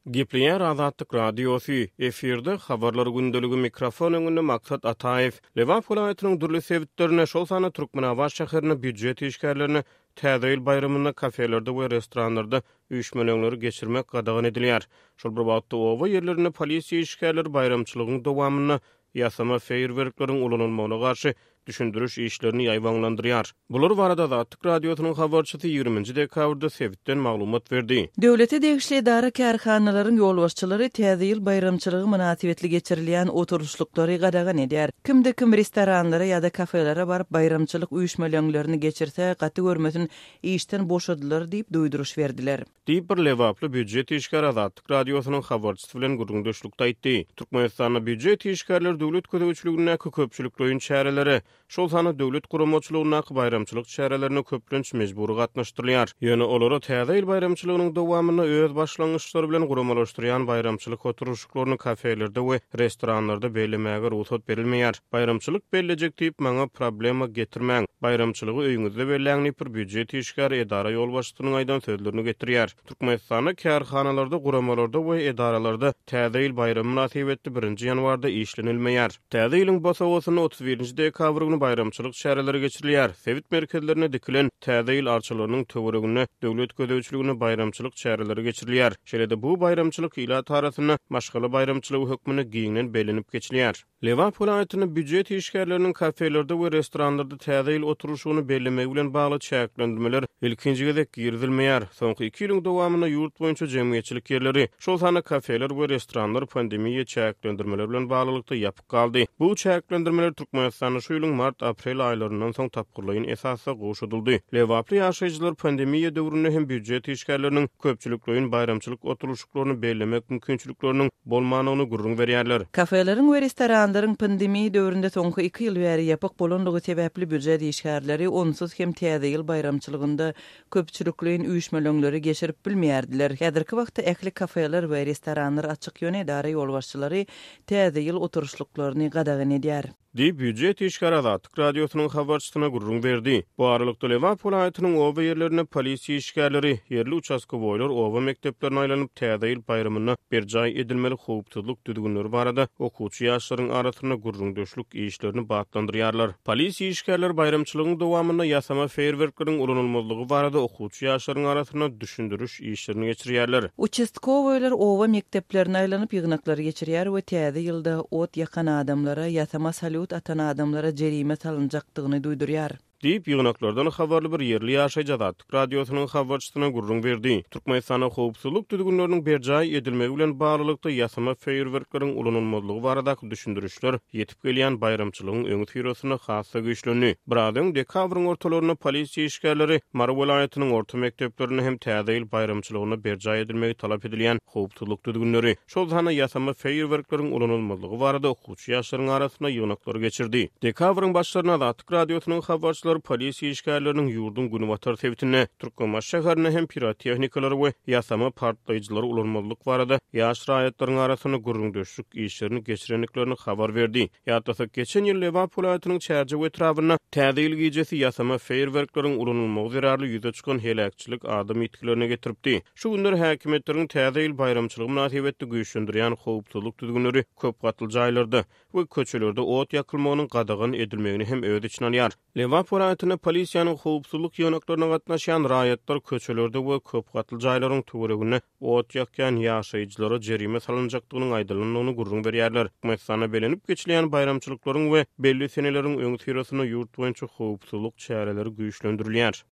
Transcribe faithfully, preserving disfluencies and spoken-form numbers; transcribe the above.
Gepleýär Azatlyk Radiosy, efirde Habarlar gündeligi, mikrofon öňünde Maksat Ataýew. Lebap welaýatynyň dürli sebitlerinde, şol sanda Türkmenabat şäherinde býujet işgärlerine Täze ýyl baýramynda kafelerde we restoranlarda üýşmeleňleri geçirmek gadagan edilýär. Şol bir wagtda, oba ýerlerinde polisiýa işgärleri baýramçylygyň dowamynda ýasama feýerwerkleriň ulanylmagyna garşy düşündiriş işlerini ýaýbaňlandyrýar. Bular barada Azatlyk Radiosynyň habarçysy ýigrimi nji dekabrda sebitden maglumat berdi. Döwlete degişli edara-kärhanalaryň ýolbaşçylary Täze ýyl baýramçylygy mynasybetli geçirilýän oturyşlyklary gadagan edýär. Kimde-kim restoranlara ýa-da kafelere baryp baýramçylyk üýşmeleňlerini geçirse, gaty görmesin işden boşadylar diýip duýduryş berdiler. Diýip, bir lebaply býujet işgäri Azatlyk Radiosynyň habarçysy bilen gürrüňdeşlikde aýtdy. Türkmenistanda býujet işgärleri döwlet gözegçiligindäki köpçülikleýin çärelere, şol sanda döwlet guramaçylygyndaky baýramçylyk çärelerine köplenç mejbury gatnaşdyrylýar. Ýöne olara Täze ýyl baýramçylygynyň dowamynda öz başlangyçlary bilen guramalaşdyrýan baýramçylyk oturyşyklaryny kafelerde we restoranlarda bellemäge rugsat berilmeýär. Baýramçylyk bellejek diýip, maňa problema getirmäň. Baýramçylygy öýüňizde belläň diýip, bir býujet işgäri edara ýolbaşçysynyň aýdan sözlerini getirýär. Türkmenistanda kärhanalarda, guramalarda we edaralarda Täze ýyl baýramy mynasybetli birinji ýanwarda işlenilmeýär. Täze ýylyň bosagasynda otuz birinji dekabr güni baýramçylyk çäreleri geçirilýär. Sebit merkezlerinde dikilen Täze ýyl arçalarynyň töwereginde döwlet gözegçiliginde baýramçylyk çäreleri geçirilýär. Şeýle-de bu baýramçylyk ilat arasynda maşgala baýramçylygy hökmünde giňden bellenip geçilýär. Lebap welaýatynda býujet işgärleriniň kafelerde we restoranlarda Täze ýyl oturyşygyny bellemegi bilen bagly çäklendirmeler ilkinji gezek girizilmeýär. Soňky iki ýylyň dowamynda ýurt boýunça jemgyýetçilik ýerleri, şol sanda kafeler we restoranlar pandemiýa çäklendirmeleri bilen baglylykda ýapyk galdy. Bu çäklendirmeler Türkmenistanda şu ýylyň mart-aprel aýlaryndan soň tapgyrlaýyn esasda gowşadyldy. Lebaply ýaşaýjylar pandemiýa döwründe hem býujet işgärleriniň köpçülikleýin baýramçylyk oturylyşyklaryny bellemek mümkinçilikleriniň bolmandygyny gürrüň berýärler. Kafeleriň we restoranlaryň pandemiýa döwründe soňky iki ýyl bäri ýapyk bolanlygy sebäpli býujet işgärleri onsuz hem Täze ýyl baýramçylygynda köpçülikleýin üýşmeleňleri geçirip bilmeýärdiler. Häzirki wagtda ähli kafeler we restoranlar açyk, ýöne edara ýolbaşçylary Täze ýyl oturyşlyklaryny gadagan edýär. Diýip, býujet işgäri Azatlyk Radiosynyň habarçysyna gürrüň berdi. Bu aralykda, Lebap welaýatynyň oba ýerlerinde polisiýa işgärleri, ýerli uçastkowoýlar oba mekdeplerine aýlanyp, Täze ýyl baýramynda berjaý edilmeli howpsuzlyk düzgünleri barada okuwçy ýaşlaryň arasynda gürrüňdeşlik işlerini batlandyrýarlar. Polisiýa işgärleri baýramçylygyň dowamynda ýasama feýerwerkleriň ulanylmazlygy barada okuwçy ýaşlaryň arasynda düşündiriş işlerini geçirýärler. Uçastkowoýlar oba mekdeplerine aýlanyp, ýygnaklary geçirýär we Täze ýylda ot ýakan adamlara, ýasama salýut atan adamlara jerime salynjakdygyny duýdurýar. Diýip, ýygnaklardan habarly bir ýerli ýaşaýjy Azatlyk Radiosynyň habarçysyna gürrüň berdi. Türkmenistanda howpsuzlyk düzgünleriniň berjaý edilmegi bilen baglylykda ýasama feýerwerkleriň ulanylmazlygy baradaky düşündirişler ýetip gelýän baýramçylygyň öňüsyrasynda has-da güýçlendi. Biraz öň, dekabryň ortalarynda polisiýa işgärleri Mary welaýatynyň orta mekdeplerinde hem Täze ýyl baýramçylygynda berjaý edilmegi talap edilýän howpsuzlyk düzgünleri, şol sanda ýasama feýerwerkleriň ulanylmazlygy barada okuwçy ýaşlaryň arasynda ýygnaklary geçirdi. Dekabryň başlarynda Azatlyk Radiosynyň habarçylary polisiýa işgärleriniň ýurduň günbatar sebitinde, Türkmenbaşy şäherinde hem pirotehnikalar we ýasama partlaýjylary ulanmazlyk barada ýaş raýatlaryň arasynda gürrüňdeşlik işlerini geçirendiklerini habar berdi. Ýatlasak, geçen ýyl Lebap welaýatynyň Çärjew etrabynda Täze ýyl gijesi ýasama feýerwerkleriň ulanylmagy zerarly ýüze çykan heläkçilik adam ýitgilerine getiripdi. Şu günler häkimiýetleriň Täze ýyl baýramçylygy mynasybetli güýçlendirýän howpsuzlyk düzgünleri köp gatly jaýlarda we köçelerde ot ýakylmagynyň gadagan edilmegini hem öz içine alýar. Lebap welaýatynda polisiýanyň howpsuzlyk ýygnaklaryna gatnaşýan raýatlar köçelerde we köp gatly jaýlaryň töwereginde ot ýakýan ýaşaýjylara jerime salynjakdygynyň aýdylandygyny gürrüň berýärler. Türkmenistanda bellenip geçilýän baýramçylyklaryň we belli seneleriň öňüsyrasynda ýurt boýunça howpsuzlyk çäreleri güýçlendirilýär.